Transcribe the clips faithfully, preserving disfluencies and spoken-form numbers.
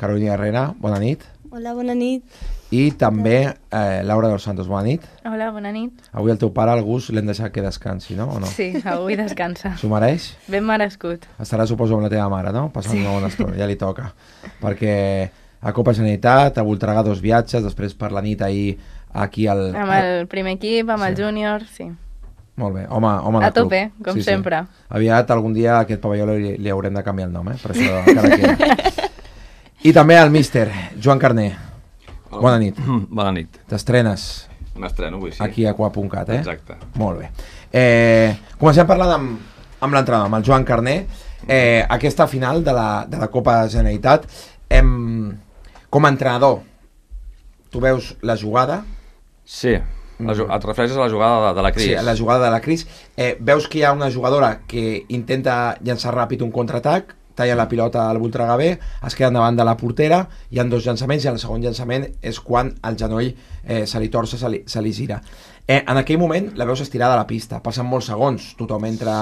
Carolina Herrera, bona nit. Hola, bona nit. I també eh, Laura dos Santos, bona nit. Hola, bona nit. Avui el teu pare, el Gus, l'hem deixat que descansi, no? O no? Sí, avui descansa. S'ho mereix? Ben merescut. Estarà, suposo, amb la teva mare, no? Passant una bona estona, ja li toca. Perquè a Copa Generalitat, a Voltregà dos viatges, després per la nit ahir aquí al... Amb el primer equip, amb el Sí. júnior, sí. Molt bé, home, home de A tope, club. com sempre. Aviat, algun dia, a aquest pavelló li, li haurem de canviar el nom, eh? Per això encara queda. I també el míster, Joan Carner. Hola. Bona nit. Bona nit. T'estrenes M'estreno avui, sí. aquí a qua punt cat, eh? Exacte. Molt bé. Eh, comencem parlant amb, amb l'entrenador, amb el Joan Carner. Eh, aquesta final de la, de la Copa Generalitat, em, com a entrenador, tu veus la jugada... Sí, la, et refereixes a la jugada de, de la Cris. Sí, la jugada de la Cris. Eh, veus que hi ha una jugadora que intenta llançar ràpid un contraatac, talla la pilota al Voltregà B, es queda davant de la portera, hi ha dos llançaments i el segon llançament és quan el genoll eh, se li torça, se li, se li gira. Eh, en aquell moment la veus estirada a la pista, passen molts segons, tothom entra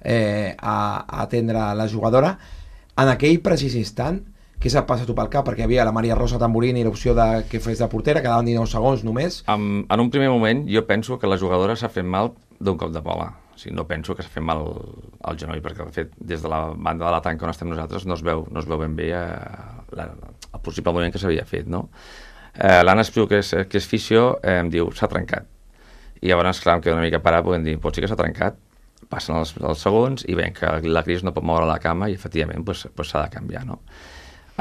eh, a, a atendre la jugadora. En aquell precís instant, què s'ha passat tu pel cap? Perquè hi havia la Maria Rosa Tamburini i l'opció de que fes de portera, quedaven dinou segons només. En, en un primer moment jo penso que la jugadora s'ha fet mal d'un cop de bola. O sigui, no penso que s'ha fet mal al genoll, perquè de fet des de la banda de la tanca on estem nosaltres no es veu, no es veu ben bé eh, la, el possible moviment que s'havia fet, no? Eh, L'Anna Espriu, que és, que és fisio, eh, em diu, s'ha trencat. I llavors, clar, em quedo una mica parat, podem dir, pot ser que s'ha trencat, passen els, els segons i veiem que la Cris no pot moure la cama i efectivament pues, pues s'ha de canviar, no?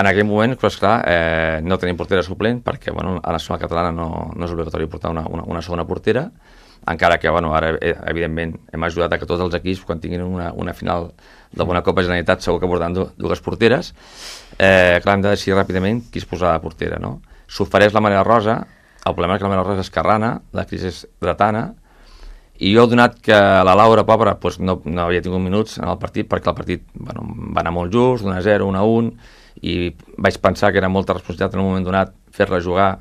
En aquell moment, pues, clar, eh, no tenim portera suplent perquè bueno, a la nacional catalana no, no és obligatori portar una, una, una segona portera, encara que bueno, ara evidentment hem ajudat a que tots els equips quan tinguin una, una final d'alguna Copa Generalitat segur que portaran dues porteres. Eh, clar, hem de decidir ràpidament qui es posarà de portera, no? S'ofereix la Maria Rosa, el problema és que la Maria Rosa és esquerrana, la Cris és dretana, i jo, donat que la Laura, pobra, pues no, no havia tingut minuts en el partit, perquè el partit bueno, va anar molt just, d'un a zero, un a un, i vaig pensar que era molta responsabilitat en un moment donat fer-la jugar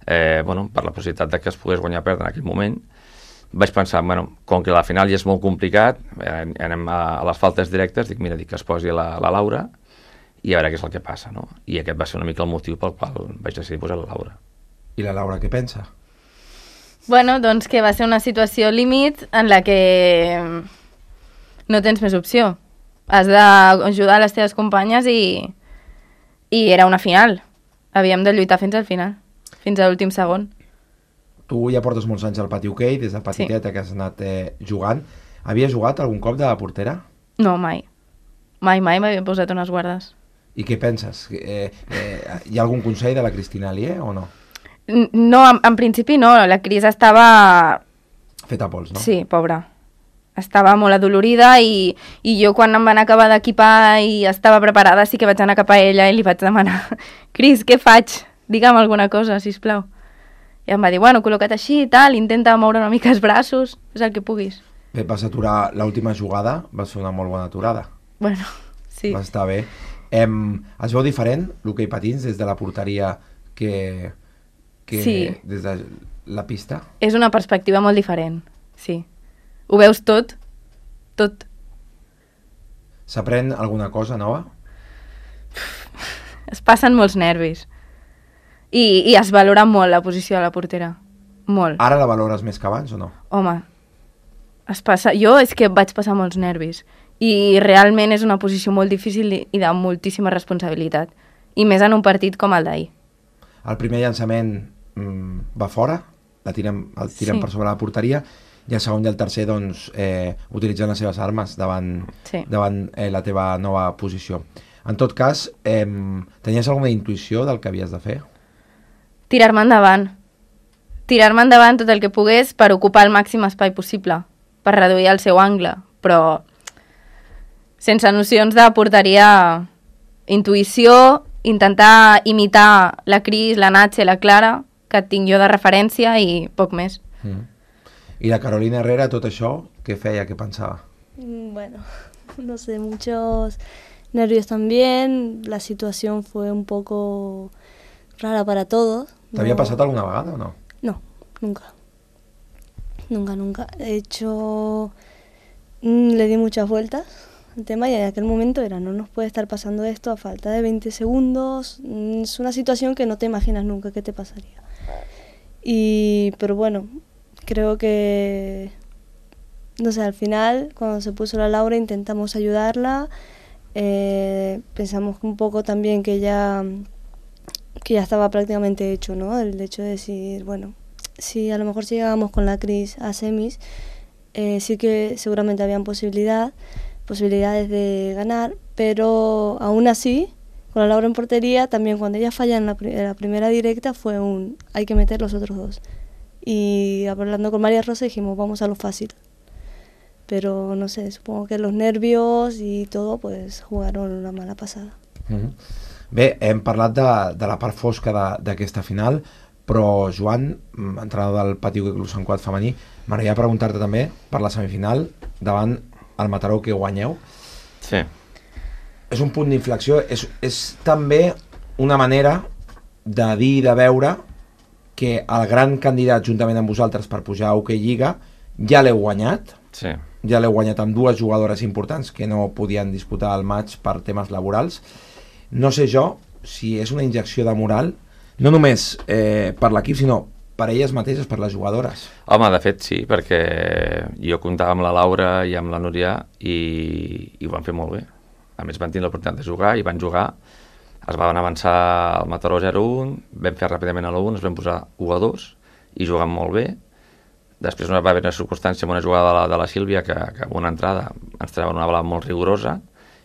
eh, bueno, per la possibilitat de que es pogués guanyar o perdre en aquell moment. Vaig pensar, bueno, com que la final ja és molt complicat, eh, anem a, a les faltes directes, dic, mira, dic que es posi la, la Laura i a veure què és el que passa, no? I aquest va ser una mica el motiu pel qual vaig decidir posar la Laura. I la Laura què pensa? Bueno, doncs que va ser una situació límit en la que no tens més opció. Has d'ajudar les teves companyes i, i era una final. Havíem de lluitar fins al final, fins a l'últim segon. Tu ja portes molts anys al pati hoquei, des de petiteta sí. Que has anat eh, jugant. Havies jugat algun cop de portera? No, mai. Mai, mai m'havia posat unes guardes. I què penses? Eh, eh, hi ha algun consell de la Cristina Alier o no? No, en, en principi no. La Cris estava... Feta pols, no? Sí, pobra. Estava molt adolorida i, i jo quan em van acabar d'equipar i estava preparada sí que vaig anar cap a ella i li vaig demanar Cris, què faig? Digue'm alguna cosa, sisplau. I em va dir, bueno, col·loca't així i tal, intenta moure una mica els braços, és el que puguis. Bé, vas aturar l'última jugada, vas fer una molt bona aturada. Bueno, sí. Va estar bé. Em, es veu diferent l'hoquei patins des de la porteria que, que sí. Des de la pista? És una perspectiva molt diferent, sí. Ho veus tot, tot. S'aprèn alguna cosa nova? Es passen molts nervis. I, i es valora molt la posició de la portera. Molt. Ara la valores més que abans o no? Home, es passa... jo és que vaig passar molts nervis. I realment és una posició molt difícil i de moltíssima responsabilitat. I més en un partit com el d'ahir. El primer llançament mm, va fora, la tirem, el tirem sí. Per sobre la porteria, i el segon i el tercer doncs, eh, utilitzant les seves armes davant, sí. davant eh, la teva nova posició. En tot cas, eh, tenies alguna intuïció del que havies de fer? Tirar-me endavant. Tirar-me endavant tot el que pogués per ocupar el màxim espai possible, per reduir el seu angle, però sense nocions de porteria, intuïció, intentar imitar la Cris, la Natxe, la Clara, que tinc jo de referència i poc més. Mm. I la Carolina Herrera, tot això, què feia, què pensava? Bueno, no sé, muchos nervios también, la situación fue un poco rara para todos. ¿Te había no... pasado alguna vegada o no? No, nunca. Nunca, nunca. De hecho, le di muchas vueltas el tema y en aquel momento era, no nos puede estar pasando esto a falta de veinte segundos, es una situación que no te imaginas nunca que te pasaría. Y, pero bueno, creo que, no sé, al final, cuando se puso la Laura intentamos ayudarla, eh, pensamos un poco también que ya, que ya estaba prácticamente hecho, ¿no? El hecho de decir, bueno, si a lo mejor si llegábamos con la Cris a semis, eh, sí que seguramente habían posibilidad, posibilidades de ganar, pero aún así, con la Laura en portería, también cuando ella falla en la, en la primera directa fue un, hay que meter los otros dos. Y hablando con María Rosa dijimos, vamos a lo fácil. Pero no sé, supongo que los nervios i tot pues, jugaron una mala passada. Mm-hmm. Bé, hem parlat de, de la part fosca d'aquesta final, però Joan, entrenador del Pati Hoquei Club Sant Cugat femení, m'agradaria preguntar-te també per la semifinal davant el Mataró que guanyeu. Sí. És un punt d'inflexió, és, és també una manera de dir i de veure que el gran candidat juntament amb vosaltres per pujar a Hoquei Lliga ja l'heu guanyat. Sí. Ja l'heu guanyat amb dues jugadores importants que no podien disputar el match per temes laborals. No sé jo si és una injecció de moral, no només eh, per l'equip, sinó per elles mateixes, per les jugadores. Home, de fet sí, perquè jo comptava amb la Laura i amb la Núria i, i ho van fer molt bé. A més van tenir l'oportunitat de jugar i van jugar, es van avançar al Mataró zero un, vam fer ràpidament a l'u un, ens vam posar u a dos i jugant molt bé. Després va haver una circumstància amb una jugada de la, de la Sílvia que, que amb una entrada ens treuen una bola molt rigorosa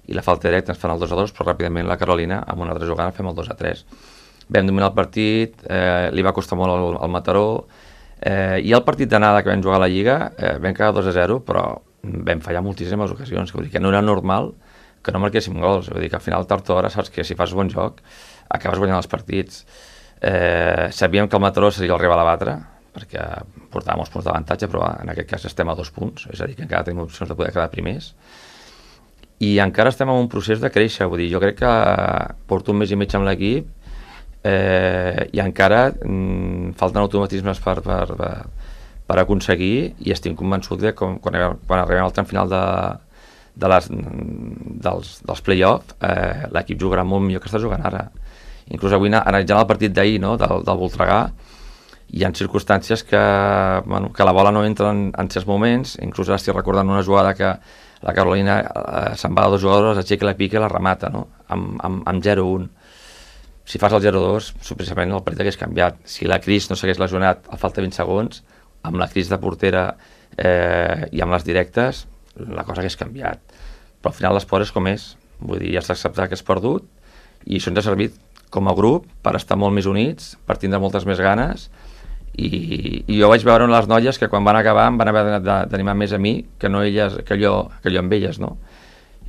i la falta directa ens fan el dos a dos, però ràpidament la Carolina amb una altra jugada fem el dos a tres. Vam dominar el partit, eh, li va costar molt al, al Mataró, eh, i el partit d'anada que vam jugar a la Lliga eh, vam quedar dos a zero, però vam fallar moltíssimes ocasions, que vull dir que no era normal que no marquéssim gols, vull dir que al final tard o d'hora saps que si fas bon joc acabes guanyant els partits. Eh, sabíem que el Mataró seria el rival a batre, perquè portàvem uns punts d'avantatge, però en aquest cas estem a dos punts, és a dir, que encara tenim opcions de poder quedar primers. I encara estem en un procés de créixer, vull dir, jo crec que porto un mes i mig amb l'equip eh, i encara mm, falten automatismes per, per, per, per aconseguir i estic convençut que quan, quan arribem al tram final de, de les, dels, dels play-off eh, l'equip jugarà molt millor que està jugant ara. Inclús avui, analitzant el partit d'ahir, no, del, del Voltregà, hi ha circumstàncies que, bueno, que la bola no entra en, en certs moments, inclús ara estic recordant una jugada que la Carolina eh, se'n va a dos jugadors, aixeca la pica i la remata, no? amb, amb, amb zero un. Si fas el zero dos, precisament el partit hagués canviat. Si la Cris no s'hagués lesionat a falta de vint segons, amb la Cris de portera eh, i amb les directes, la cosa hagués canviat. Però al final l'esport és com és, vull dir, ja s'ha d'acceptar que és perdut i això ens ha servit com a grup per estar molt més units, per tindre moltes més ganes. I, i jo vaig veure les noies que quan van acabar em van haver d'animar més a mi que no elles, que jo, que jo amb elles, no?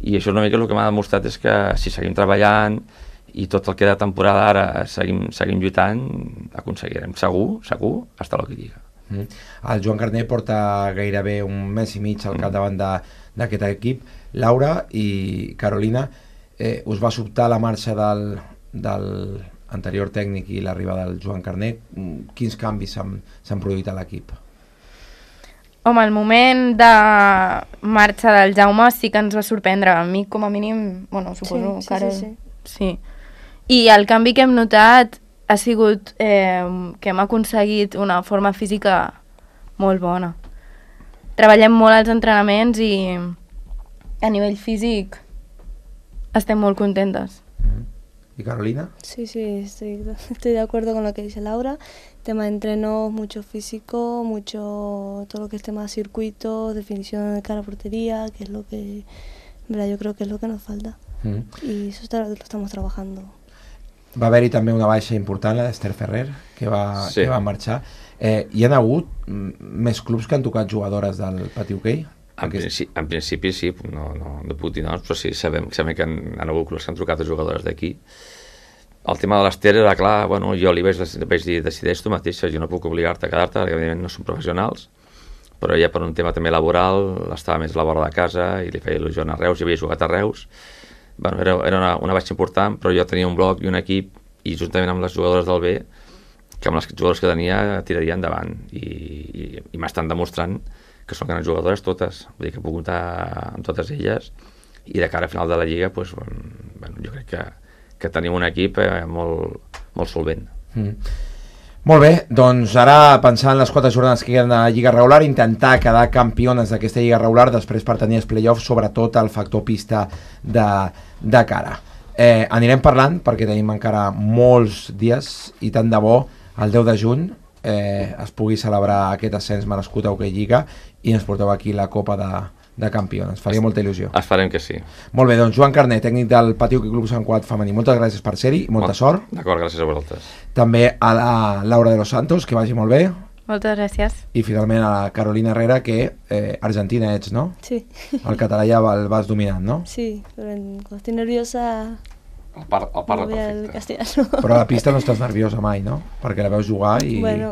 I això una mica el que m'ha demostrat és que si seguim treballant i tot el que de temporada ara seguim, seguim lluitant, aconseguirem segur, segur, estar a l'Hoquei Lliga. Mm. El Joan Carner porta gairebé un mes i mig al capdavant d'aquest equip. Laura i Carolina, eh, us va sobtar la marxa del, del anterior tècnic i l'arribada del Joan Carner, quins canvis s'han produït a l'equip? Home, el moment de marxa del Jaume sí que ens va sorprendre. A mi, com a mínim, bueno, suposo sí, que ara... Sí, sí, sí. sí. I el canvi que hem notat ha sigut eh, que hem aconseguit una forma física molt bona. Treballem molt als entrenaments i a nivell físic estem molt contentes. Mm. ¿Y Carolina? Sí, sí, estoy, estoy de acuerdo con lo que dice Laura. Tema de entrenos, mucho físico, mucho todo lo que es tema de circuitos, definición de cara a portería, que es lo que, verdad, yo creo que es lo que nos falta. Mm. Y eso está, lo estamos trabajando. Va haver-hi també una baixa important, la d'Esther Ferrer, que va, sí. que va marxar. Eh, hi ha hagut més clubs que han tocat jugadores del Pati Hoquei? En, principi, en principi sí, no, no, no puc dir noms, però sí, sabem, sabem que han, han hagut clubs que han trucat a jugadores d'aquí. El tema de l'Ester era clar, bueno, jo li vaig, vaig dir, decideix tu mateixa, jo no puc obligar-te a quedar-te, perquè evidentment no som professionals, però ja per un tema també laboral, estava més a la vora de casa i li feia il·lusió anar a Reus, i havia jugat a Reus. Bueno, era, era una, una baixa important, però jo tenia un bloc i un equip, i juntament amb les jugadores del B, que amb les jugadores que tenia tiraria endavant, i, i, i m'estan demostrant que són grans jugadores totes, vull dir que puc comptar amb totes elles, i de cara a final de la Lliga pues, bueno, jo crec que, que tenim un equip eh, molt, molt solvent. Mm. Molt bé, doncs ara pensant en les quatre jornades que queden a Lliga regular, intentar quedar campiones d'aquesta Lliga regular, després per tenir els play-offs, sobretot el factor pista de, de cara. Eh, anirem parlant perquè tenim encara molts dies i tant de bo el deu de juny eh, es pugui celebrar aquest ascens merescut a Hockey Lliga i ens porteu aquí la Copa de, de Campions. Faria molta il·lusió. Esperem que sí. Molt bé, doncs Joan Carné, tècnic del Patí Hockey Club Sant Cugat femení, moltes gràcies per ser-hi i molta Molt, sort. D'acord, gràcies a vosaltres. També a la Laura de los Santos, que vagi molt bé. Moltes gràcies. I finalment a la Carolina Herrera, que eh, argentina ets, no? Sí. El català ja el vas dominant, no? Sí, pero en- cuando estoy nerviosa El, par, el me parla voy al perfecte. castellano. Però a la pista no estàs nerviosa mai, no? Perquè la veus jugar i... Bueno,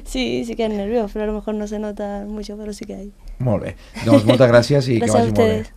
sí, sí que hay nervios, pero a lo mejor no se nota mucho, pero sí que hay. Molt bé. Doncs moltes gràcies i Gràcies que a vagi molt bé. ustedes.